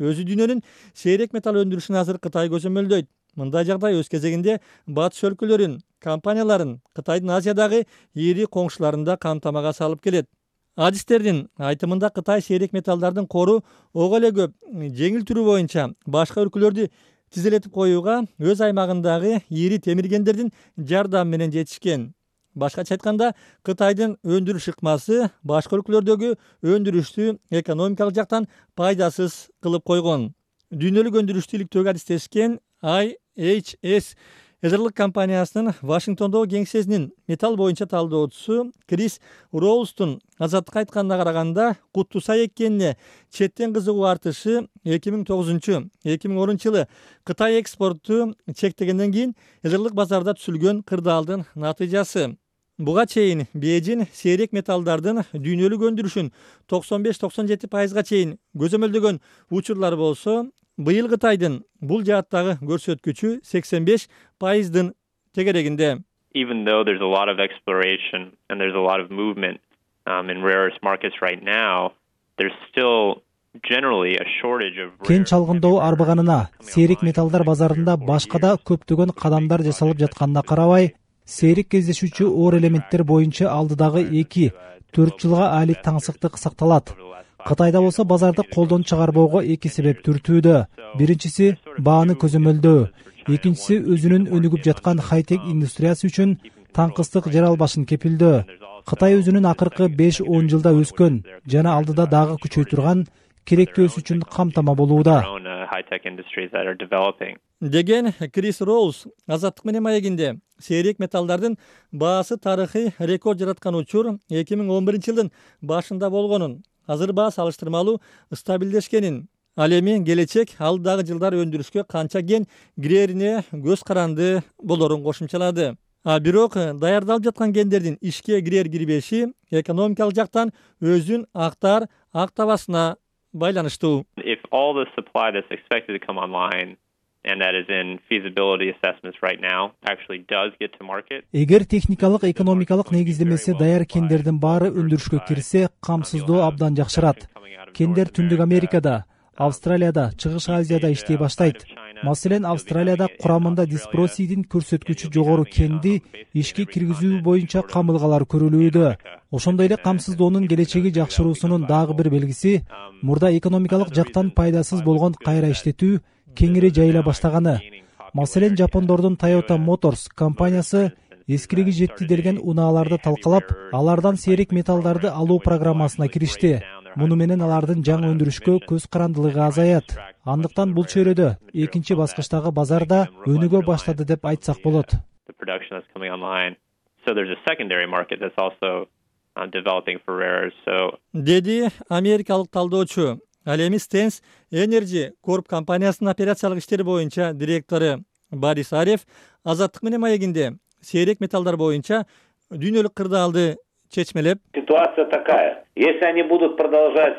өзү дүйнөнүн сейрек металл өндүрүшүн азыр Кытай көзөмөлдөйт. Мындай жагдай өз кезегинде батыш өлкөлөрүн, компанияларын Кытайдын Азиядагы ири коңшуларында камтамага салып келет. Адистердин айтымында Кытай сейрек металлдардын кору ого эле көп жеңил түрү боюнча башка өлкөлөрдү тизелетип коюуга өз аймагындагы ири темиргендердин жардамы менен жетишкен. Башкача айтканда, Кытайдын өндүрүш ыкмасы башка өлкөлөрдөгү өндүрүштү экономикалык жактан пайдасыз кылып койгон. Дүйнөлүк өндүрүштү иликтөөгө адистешкен IHS Эзерлик компаниясынын Вашингтондогу кеңсесинин металл боюнча талдоочусу Крис Роулстун Азаттыкка айтканына караганда, Куттусай эккенине четтен кызыгуу артышы 2009-2010 жылы Кытай экспортту чектегенден кийин эзерлик базарда түзүлгөн кырдаалдын натыйжасы. Буга чейин Бейжин сейрек металлдардын дүйнөлүк өндүрүшүн 95-97% чейин көзөмөлдөгөн учурлар болсо, быйыл Кытайдын бул жааттагы көрсөткүчү 85%дын тегерегинде. Even though there's a lot of exploration and there's a lot of movement in rare earth markets right now, there's still generally a shortage of кен чалгындоо арбыганына сейрек металлдар базарында башка да көптөгөн кадамдар жасалып жатканына карабай, сейрек кездешүүчү оор элементтер боюнча алдыдагы 2-4 жылга али таңсыктык сакталат. Кытайда болсо базарды колдон чыгарбоого эки себеп түртүүдө. Биринчиси бааны көзөмөлдөө, экинчиси өзүнүн өнүгүп жаткан хай-тек индустриясы үчүн таңкыстык жер албашын кепилдөө. Кытай өзүнүн акыркы 5-10 жылда өскөн жана алдыда дагы күчөй турган керектүү өсүш үчүн камтама болууда, деген Крис Роуз Азаттык менен маегинде. Сейрек металлдардын баасы тарыхый рекорд жараткан учур 2011 жылдын башында болгонун, азыр баа салыштырмалуу стабилдешкенин, ал эми келечек алдыдагы жылдар өндүрүшкө канча кен кирерине көз каранды болорун кошумчалады. Бирок даярдалып жаткан кендердин ишке кирер-кирбеши экономикалык жактан өзүн актабасына байланыштуу. If all the supply that's expected to come online and that is in feasibility assessments right now actually does get to market. Эгер техникалык экономикалык негиздемеси даяр кендердин баары өндүрүшкө кирсе, камсыздоо абдан жакшырат. Кендер Түндүк Америкада, Австралияда, Чыгыш Азияда иштей баштайт. Маселен, Австралияда курамында диспросийдин көрсөткүчү жогору кенди ишке киргизүү боюнча камылгалар көрүлүүдө. Ошондой эле камсыздоонун келечеги жакшыруусунун дагы бир белгиси мурда экономикалык жактан пайдасыз болгон кайра иштетүү кеңири жайыла баштаганы. Маселен, Жапондордун Toyota Motors компаниясы эскириги жетти делген унааларды талкалап, алардан сейрек металлдарды алуу программасына киришти. Муну менен алардын жаңы өндүрүшкө көз карандылыгы азаят. Андыктан бул чөйрөдө экинчи баскычтагы базарда өнүгө баштады деп айтсак болот. Деди америкалык талдоочу. Ал эми Stens Energy Corp компаниясынын операциялык иштери боюнча директору Борис Ареф Азаттык менен маегинде сейрек металлдар боюнча дүйнөлүк кырдаалды чечмелеп. Ситуация такая. Если они будут продолжать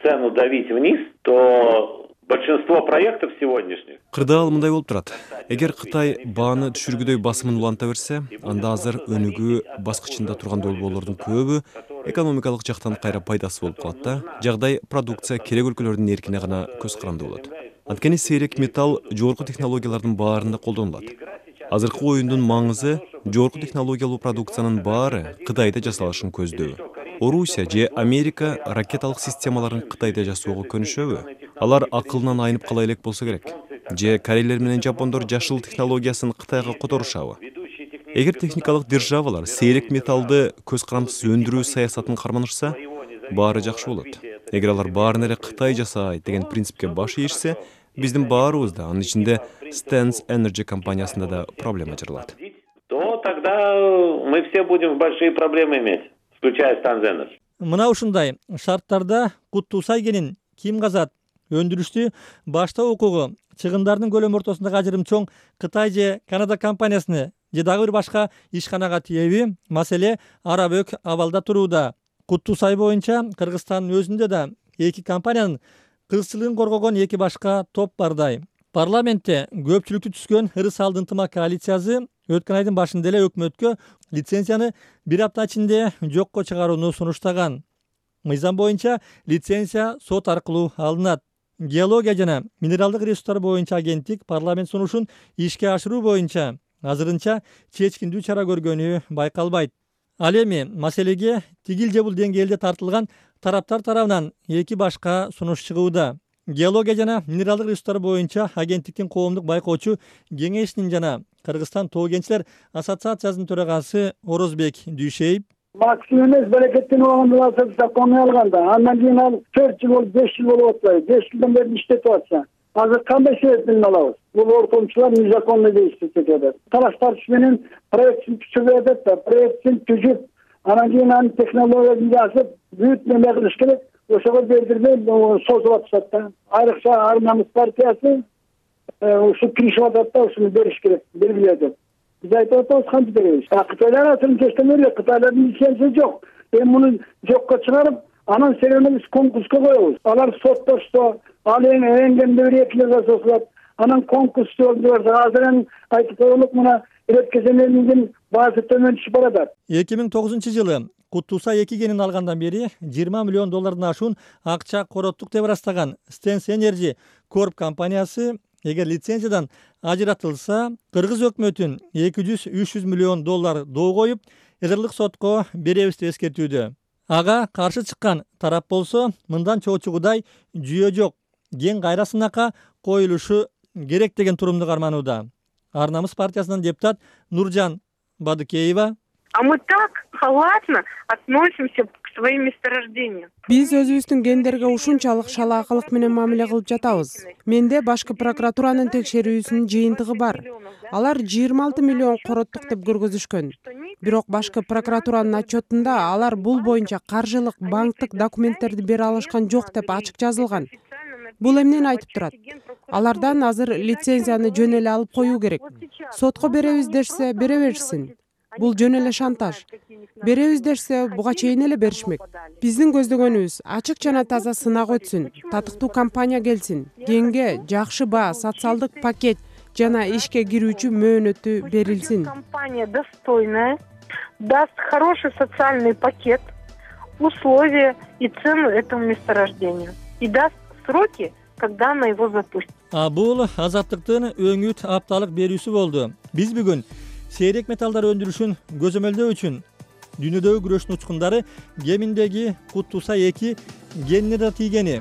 цену давить вниз, то большинство проектов сегодняшних. Кырдаал мындай болуп турат. Эгер Кытай бааны түшүргүдөй басымын уланта берсе, анда азыр өнүгүү баскычында турган долбоорлордун көбү экономикалык жактан кайра пайдасы болуп калат да. Жагдай продукция керек өлкөлөрдүн эркине гана көз каранды болот. Анткени сейрек металл жогорку технологиялардын баарында колдонулат. Азыркы оюндун маңызы жогорку технологиялуу продукциянын баары Кытайда жасалышын көздөө. Орусия же Америка ракеталык системаларын Кытайда жасоого көнүшөбү? Алар акылынан айнып кала элек болсо керек. Же корейлер менен жапондор жашыл технологиясын Кытайга которушабы? Эгер техникалык державалар сейрек металлды көз карандысыз өндүрүү саясатын карманышса, баары жакшы болот. Эгер алар баарын эле Кытай жасайт деген принципке баш ийишсе, биздин баарыбызда, анын ичинде Stens Energy компаниясында да проблема жаралат. То тогда мы все будем большие проблемы иметь, включая Stens Energy. Мына ушундай шарттарда Куттусай кенин ким казат? Өндүрүштү баштоо укугу, чыгымдардын көлөмү ортосундагы ажырым чоң Кытай же Канада компаниясыны же дагы бир башка ишканага тиеби? Маселе арабөк абалда турууда. Куттусай боюнча Кыргызстандын өзүндө да эки компаниянын кызчылыгын коргогон эки башка топ бардай. Парламентте көпчүлүктү түзгөн Ырыс алды ынтымак коалициясы өткөн айдын башында эле өкмөткө лицензияны бир апта ичинде жокко чыгарууну сунуштаган. Мыйзам боюнча лицензия сот аркылуу алынат. Геология жана минералдык ресурстар боюнча агенттик парламент сунушун ишке ашыруу боюнча азырынча чечкиндүү чара көргөнү байкалбайт. Ал эми маселеге тигил же бул деңгээлде тартылган тараптар тарабынан эки башка сунуш чыгууда. Геология жана минералдык ресурстар боюнча агенттиктин коомдук байкоочу кеңешинин жана Кыргызстан тоо кенчилер ассоциациясынын төрагасы Орозбек Дүйшеев максимум эмес берекеттенип алганда коной алганда андан кийин ал 4 жыл болуп 5 жыл болуп атпайбы, 5 жылдан бери иштетип атса азыр кандай себеп менен алабыз? Бул ортомчулар незаконно иштеп атат. Талаш тартыш менен проектин түзүп атат да, проектин түзүп, анан кийин анын технологиясын жазып, бүт неме кылыш керек. Ошого бердирбей созуп атышат да. Айрыкча Ар Намыс партиясы ушу киришип атат да, ушуну бериш керек, белгилеп атат. Биз айтып атабыз, кантип беребиз? Кытайлар атын чечтемеле, Кытайлардын лицензиясы жок. Эми муну жокко чыгарып, анан себебин биз конкурска коебуз. Алар соттошто, ал эң кемде 2 жылга созулат. Анан конкурс өткөрүлөт. Азыр айтып коелук, мына иреткеземелердин баасы төмөн түшүп барат. 2009-жылы Куттуса 2 кенин алгандан бери 20 миллион доллардан ашуун акча короттук деп ырастаган Stens Energy Corp компаниясы эгер лицензиядан ажыратылса, Кыргыз өкмөтүн 200-300 миллион доллар доо коюп, эзерлик сотко беребиз деп эскертүүдө. Ага каршы чыккан тарап болсо, мындан чоочугудай жүйө жок, кен кайра сынакка коюлушу керек деген турумду карманууда. Ар Намыс партиясынын депутат Нуржан Бадыкеева: А мы так халатно относимся к своим месторождениям. Биз өзүбүздүн кендерге ушунчалык шалаакылык менен мамиле кылып жатабыз. Менде башкы прокуратуранын текшерүүсүнүн жыйынтыгы бар. Алар 26 миллион короттук деп көргөзүшкөн. Бирок башкы прокуратуранын отчетунда алар бул боюнча каржылык, банктык документтерди бере алышкан жок деп ачык жазылган. Бул эмнени айтып турат? Алардан азыр лицензияны жөн эле алып коюу керек. Сотко беребиз дешсе, бере беришсин. Бул жөн эле шантаж. Беребиз дешсе, буга чейин эле беришмек. Биздин көздөгөнүбүз ачык жана таза сынак өтсүн, татыктуу компания келсин, кенге жакшы баа, социалдык пакет жана ишке кирүүчү мөөнөтү берилсин. Компания достойная, даст хороший социальный пакет, условия и цену этому месторождению. И даст сроки, когда она его запустит. Бул азаттыктын өңүт апталык берүүсү болду. Биз бүгүн сейрек металлдар өндүрүшүн көзөмөлдөө үчүн дүйнөдөгү күрөштүн учкундары кеминдеги Куттуса 2 кенине да тийгени,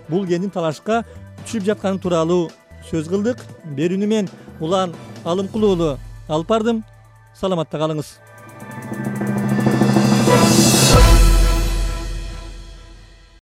бул кендин талашка түшүп жатканы тууралуу сөз кылдык. Берүүнү мен Улан Алымкулуу алып бардым. Саламатта калыңыз.